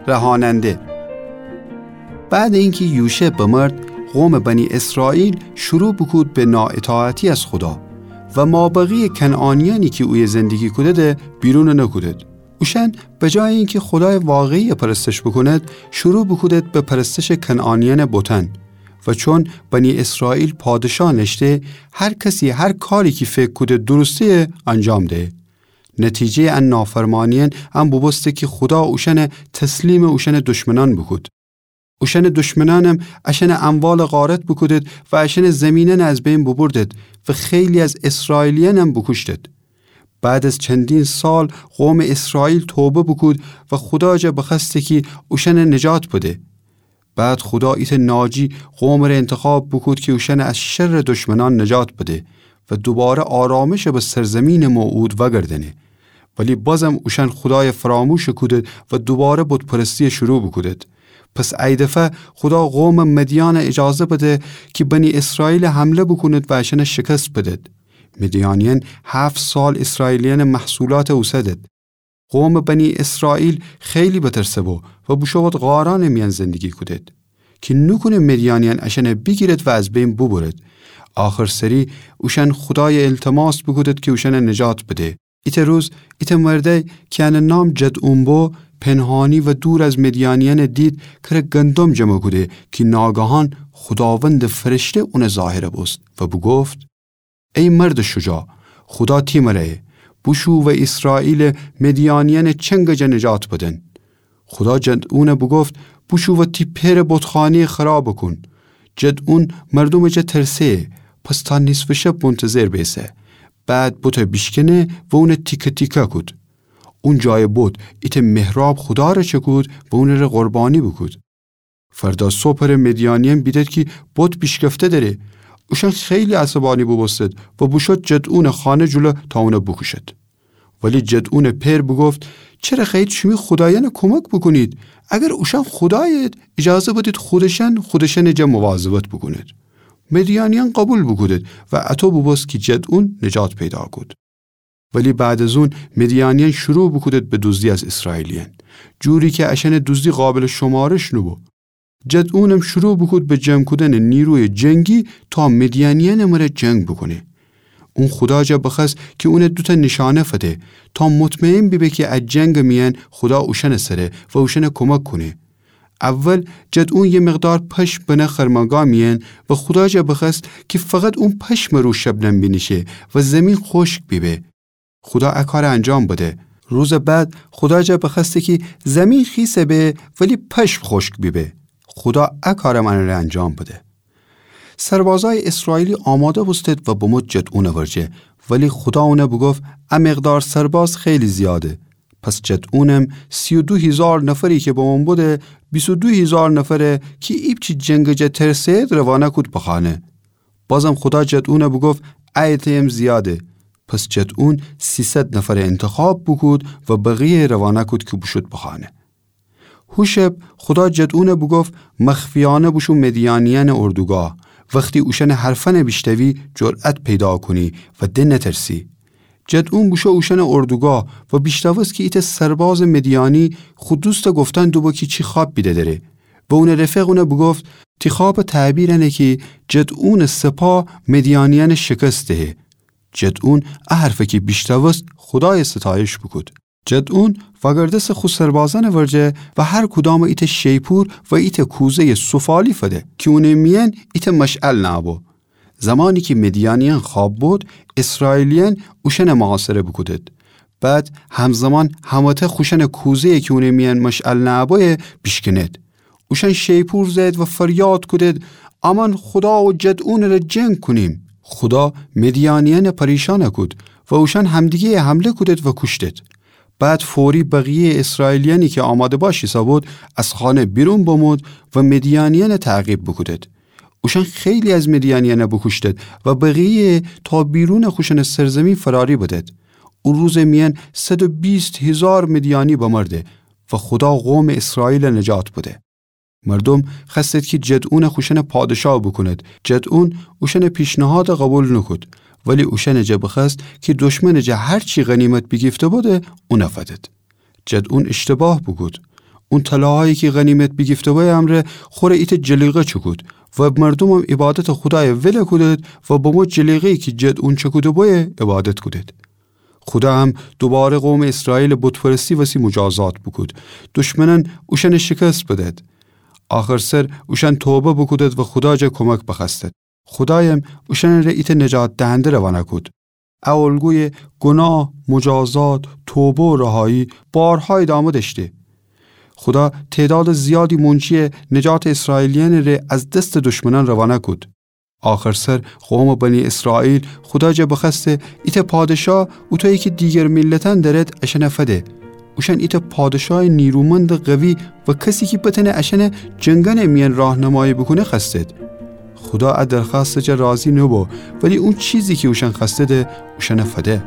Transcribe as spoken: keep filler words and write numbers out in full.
رهاننده. بعد اینکه یوشع بمرد، قوم بنی اسرائیل شروع بوکود به نااطاعتی از خودا و مابقی کنعانیانی کی اویه زندگی کودده بیرون نکودد. اوشأن به جای اینکه خودای واقعی پرستش بوکوند، شروع بوکودد به پرستش کنعانیان بتأن. و چون بنی اسرائیل پادشاه نشته، هر کسی هر کاری کی فکر کوده درسته‌یه انجام ده. نتیجه‌ی ان نافرمانیأن ان بوبوسته کی خودا اوشأن تسلیم اوشأن دشمنأن بوکود. اوشأن دشمنأنم اشأن اموال غارت بوکودد و اشأن زمینأن از بین بوبردد و خیلی از اسرائیلیأنم بوکوشتد. بعد از چندین سال قوم اسرائیل توبه بوکود و خودا جا بخوأسته کی اوشأن نجات بده. بعد خودا ایتأ ناجی قومٚ ره انتخاب بوکود کی اوشأن از شرٚ دشمنأن نجات بده و دوباره آرامش به سرزمینٚ موعود وأگردأنه. ولی بازم اوشأن خودای فراموش کودد و دوباره بت‌پرستی شروع بوکودد. پس ایدفعه خودا قومٚ مدیان اجازه بده کی بنی اسرائیل حمله بوکوند و اشأن شکست بدد. مدیانیأن هفت سال اسرائیلیأنٚ محصولات اوسدد. قومٚ بنی اسرائیل خیلی بترسه بو و بوشو بد غارأنٚ میأن زندگی کودد کی نوکونه مدیانیأن اشأن بیگیرد و از بین بوبرد. آخر سری اوشأن خودای التماس بوکودد کی اوشأن نجات بده. ایتأ روز ایتأ مردأی کی انٚ نام جدعون بو، پنهانی و دور از مدیانیأن دید کره گندم جمع کوده کی ناگهان خوداوندٚ فرشته اونٚ ظاهر بوست و بوگفت: ای مردٚ شجاع، خودا تی مره‌یه، بوشو و اسرائیل مدیانیأنٚ چنگٚ جا نجات بدن. خودا جدعون بوگفت: بوشو و تی پئرٚ بتخانه‌یه خراب کون. جدعون مردومٚ جا ترسه‌یه، پس تا نیصفٚ شب منتظر بیسه. بعد بته بیشکنه و اون تیکه تیکه کود. اون جای بت ایتأ محراب خودا ره چکود و اونٚ ره قربانی بوکود. فردا صبحٚ ره مدیانیأن بیدد کی بت بیشکفته دره. اوشأن خیلی عصبانی بوبوستد و بوشد جدعونٚ خانه جلو تا اون بوکوشد. ولی جدعونٚ پئر بوگفت: چره خوأیید شیمی خودایأن کمک بوکونید؟ اگر اوشأن خودایید، اجازه بدید خودشأن خودشأنٚ جا مواظبت بوکوند. مدیانیأن قبول بوکودد و اطو بوبوست کی جدعون نجات پیدا کود. ولی بعد از اون مدیانیأن شروع بوکودد به دوزدی از اسرائیلیأن، جوری کی اشأنٚ دوزدی قابلٚ شمارش نوبو. جدعونم شروع بوکود به جمع کودنٚ نیروی جنگی تا مدیانیأنٚ مره جنگ بوکونه. اون خودا جا بخوأست کی اون دوتأ نیشأنه فده تا مطمئن بیبه کی ا جنگٚ میأن خودا اوشأنٚ سره و اوشأن کمک کونه. اول جدعون یه مقدار پشم بنه خرمنگاه میأن و خودا جا بخوأست کی فقط اون پشمٚ رو شبنم بینیشه و زیمین خوشک بیبه. خودا ا کار انجام بده. روزٚ بعد خودا جا بخوأسته کی زیمین خیسه به ولی پشم خوشک بیبه. خودا ا کارم انٚ ره انجام بده. سربازأی اسرائیلی آماده بوستد و بمود جدعونٚ ورجه، ولی خودا اون بوگفت ا مقدار سرباز خیلی زیاده. پس جدعونم سی و دو هیزار نفری کی بمون بوده، بیست و دو هیزار نفره کی ایپچی جنگٚ جا ترسه‌ید روانه کود بخانه. بازم خودا جدعون بوگفت ا عده‌یم زیاده. پس جدعون سیصد نفر انتخاب بوکود و بقیه روانه کود کی بوشود بخانه. هو شب خودا جدعون بوگفت مخفیأنه بوشو مدیانیأنٚ اردوگاه. وختی اوشأنٚ حرفأن بیشنوی جرأت پیدا کونی و د نترسی. جدعون بوشو اوشأنٚ اردوگاه و بیشنوست کی ایتأ سربازٚ مدیانی خو دوست گفتن دوبو کی چی خوأب بیده دره. و اونٚ رفیق اون بوگفت تی خوأبٚ تعبیر انه کی جدعونٚ سپاه مدیانیأن شکست دهه. جدعون ا حرف کی بیشنوست خودای ستایش بوکود. جدعون وأگردسه خو سربازأنٚ ورجه و هر کدام ایتأ شیپور و ایتأ کوزه‌یٚ سفالی فده کی اونٚ میأن ایتأ مشعل نأبو. زمانی کی مدیانیأن خوأب بود، اسرائیلیأن اوشأن محاصره بوکودد. بعد همزمان همه‌تأ خوشأنٚ کوزه‌یٚ کی اونٚ میأن مشعل نأبویه بیشکند. اوشأن شیپور زأید و فریاد کودد امأن خودا و جدعونٚ ره جنگ کونیم. خودا مدیانیأن پریشان کود و اوشأن همدیگه‌یه حمله کودد و کوشتد. بعد فوری بقیه‌یٚ اسرائیلیأنی کی آماده باش ایسه‌بود از خانه بیرون بمود و مدیانیأن تعقیب بوکودد. اوشأن خیلی از مدیانیأن بوکوشتد و بقیه‌یه تا بیرونٚ خوشأنٚ سرزیمین فراری بدد. او روزٚ میأن صد و بیست هیزار مدیانی بمرده و خودا قومٚ اسرائیل نجات بده. مردوم خوأستد کی جدعون خوشأن پادشاه بوکوند. جدعون اوشأنٚ پیشنهاد قبول نوکود، ولی اوشأنٚ جا بخوأست کی دشمنٚ جا هر چی غنیمت بیگیفته بوده اون فدد. جدعون اشتباه بوکود. اون طلاهایی کی غنیمت بیگیفته‌بویه امرأ خوره ایتأ جلیقه چکود و مردومم عبادتٚ خودایَ ول کودید و بمو جلیقه‌یی کی جدٚ اون چکوده‌بویه عبادت کودید. خودا هم دوباره قومٚ اسرائیلٚ بت‌پرستی وسی مجازات بوکود. دشمنأن اوشأنَ شکست بدید. آخرسر اوشأن توبه بوکودید و خودا جا کمک بخوأستید. خودایم اوشأنٚره ایتأ نجات دهنده روانه کود. ا الگویٚ گناه، مجازات، توبه و رهایی بارها ادامه دأشته. خودا تعدادٚ زیادی مونچی نجاتٚ اسرائیلیأنٚ ره از دستٚ دشمنأن روانه کود. آخرسر قومٚ بنی اسرائیل خودا جا بخوأسته ایتأ پادشاه اوطویی کی دیگر میلتأن دأرید اشأنَ فده. اوشأن ایتأ پادشایٚ نیرومندٚ قوی و کسی کی بتأنه اشأنَ جنگأنٚ میأن راهنمایی بوکونه خوأستید. خودا ا درخوأستٚ جا راضی نوبو، ولی او چیزی کی اوشأن خوأستیدی اوشأنَ فده.